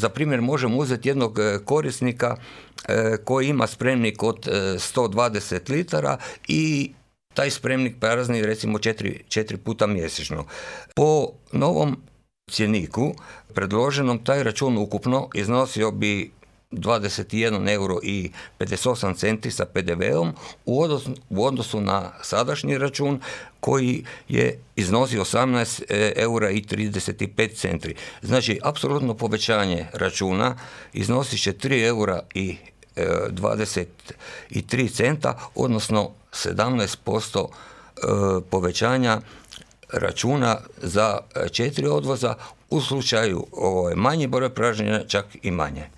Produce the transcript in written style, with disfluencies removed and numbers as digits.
Za primjer možemo uzeti jednog korisnika koji ima spremnik od 120 litara i taj spremnik prazni recimo 4 puta mjesečno. Po novom cjeniku predloženom taj račun ukupno iznosio bi 21 euro i 58 centi sa PDV-om u odnosu na sadašnji račun koji je iznosio 18 eura i 35 centi. Znači, apsolutno povećanje računa iznosit će 3 eura i 23 centa, odnosno 17% povećanja računa za 4 odvoza, u slučaju manji broj pražnjenja čak i manje.